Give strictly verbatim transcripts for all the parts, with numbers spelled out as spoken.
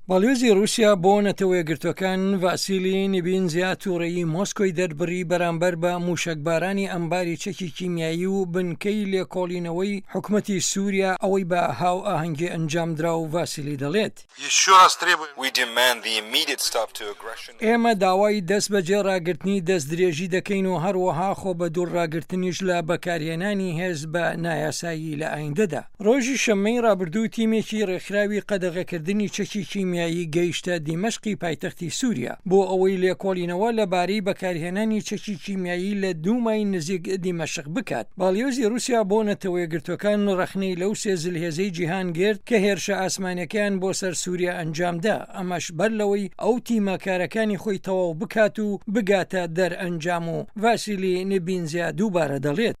باڵیۆزی رووسیا بۆ نەتەوە یەکگرتووەکان ڤاسیلی نیبینزیا تووڕەیی مۆسکۆی دەربڕی بەرامبەر بە موشەکبارانی ئەمباری چەکی کیمیایی و بنکەی لێکۆڵینەوەی حکومەتی سووریا، ئەوەی بە هاوئاهەنگی ئەنجامدرا و ڤاسیلی دەڵێت: ئێمە داوای دەست بەجێ ڕاگرتنی دەستدرێژی دەکەین و هەروەها خۆ بە دوور ڕاگرتنیش لە بەکارهێنانی هێز بە نایاسایی لە ئایندەدا. ڕۆژی شەممەی ڕابردوو تیمێکی ڕێکخراوی قەدەغەکردنی چەکی کیمیایی گەیشتە دیمەشقی پایتەختی سووریا بۆ ئەوەی لێکۆڵینەوە لەبارەی بەکارهێنانی چەکی کیمیایی لە دوومای نزیک دیمەشق بکات. باڵیۆزی رووسیا بۆ نەتەوە یەکگرتووەکان ڕەخنەی لەو سێ زلهێزەی جیهان گرت کە هێرشە ئاسمانیەکەیان بۆ سەر سووریا ئەنجامدا، ئەمەش بەر لەوەی ئەو تیمە کارەکانی خۆی تەواو بکات و بگاتە دەرئەنجام و ڤاسیلی نیبینزیا دووبارە دەڵێت: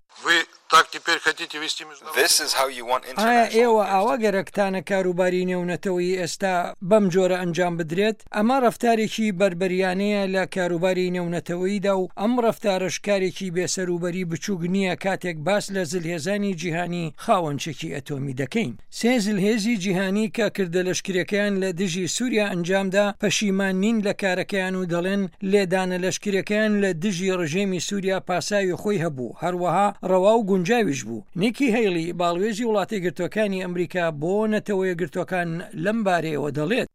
ئایا ئێوە ئاوا گەرەکتانە کاروباری نێونەتەوەیی ئێستا بەم جۆرە ئەنجام بدرێت؟ ئەمە ڕەفتارێکی بەربەریانەیە لە کاروباری نێونەتەوەییدا و ئەم ڕەفتارەش کارێکی بێسەروبەری بچووک نییە کاتێک باس لە زلهێزانی جیهانی خاوەن چەکی ئەتۆمی دەکەین. سێ زلهێزی جیهانی کە کردە لەشکرەکەیان لە دژی سووریا ئەنجامدا پەشیمان نین لە کارەکەیان و دەڵێن لێدانە لەشکرەکەیان لە دژی ڕژێمی سووریا پاساوی خۆی هەبوو، هەروەها ڕەوا و گونجاویش بوو. نیکی هەیڵی باڵوێزی وڵاتە یەکگرتووەکانی ئەمریکا بۆ نەتەوە یەکگرتووەکان لەم بارەیەوە دەڵێت: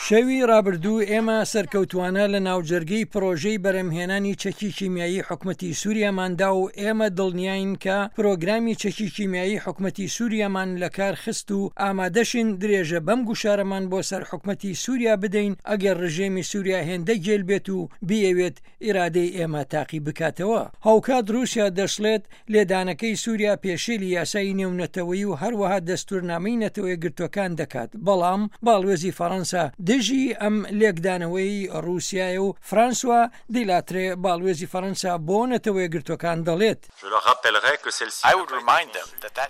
شەوی ڕابردوو ئێمە سەرکەوتووانە لە ناوجەرگەی پڕۆژەی بەرهەمهێنانی چەکی کیمیایی حکومەتی سووریامان دا و ئێمە دڵنیاین کە پرۆگرامی چەکی کیمیایی حکومەتی سووریامان لەکار خست و ئامادەشین درێژە بەم گوشارەمان بۆ سەر حکومەتی سووریا بدەین ئەگەر ڕژێمی سووریا هێندە گێل بێت و بیەوێت ئیرادەی ئێمە تاقی بکاتەوە. هاوکات رووسیا دەشڵێت، لێدانەکەی سووریا پێشێلی یاسای نێونەتەوەیی و هەروەها دەستوورنامەی نەتەوە یەکگرتووەکان دەکات، بەڵام باڵوێزی فەڕەنسا دژی ئەم لێکدانەوەی رووسیایە و فرانسوا دیلاترێ باڵوێزی فەڕەنسا بۆ نەتەوە یەکگرتووەکان دەڵێت،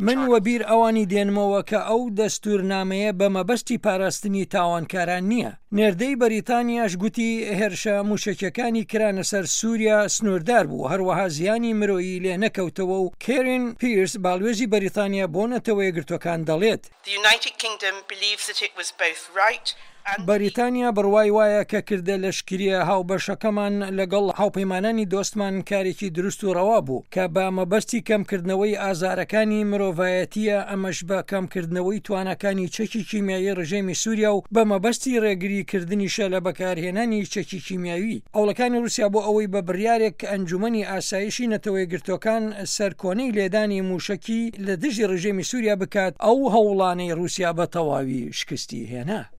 من وەبیر ئەوانی دێنمەوە کە ئەو دەستوورنامەیە بە مەبەستی پاراستنی تاوانکاران نییە. نێردەی بەریتانیاش گوتی هێرشە مووشەکیەکانی کرانە سەر سووریا سنووردار بوو، هەروەها زیانی مرۆیی لێ نەکەوتەوە و کێرین پیرس باڵوێزی بەریتانیا بۆ نەتەوە یەکگرتووەکان دەڵێت، بەریتانیا بڕوای وایە کە کردە لەشکرییە هاوبەشەکەمان لەگەڵ هاوپەیمانانی دۆستمان کارێکی دروست و ڕەوا بوو کە بە مەبەستی کەمکردنەوەی ئازارەکانی مرۆڤایەتییە، ئەمەش بە کەمکردنەوەی تواناکانی چەکی کیمیایی ڕژێمی سووریا و بە مەبەستی ڕێگری کردنیشە لە بەکارهێنانی چەکی کیمیاوی. هەوڵەکانی ڕووسیا بۆ ئەوەی بە بڕیارێک کە ئەنجومەنی ئاسایشی نەتەوە یەکگرتووەکان سەرکۆنەی لێدانی مووشەکی لە دژی ڕژێمی سووریا بکات، ئەو هەوڵانەی ڕووسیا بە تەواوی شکستی هێنا.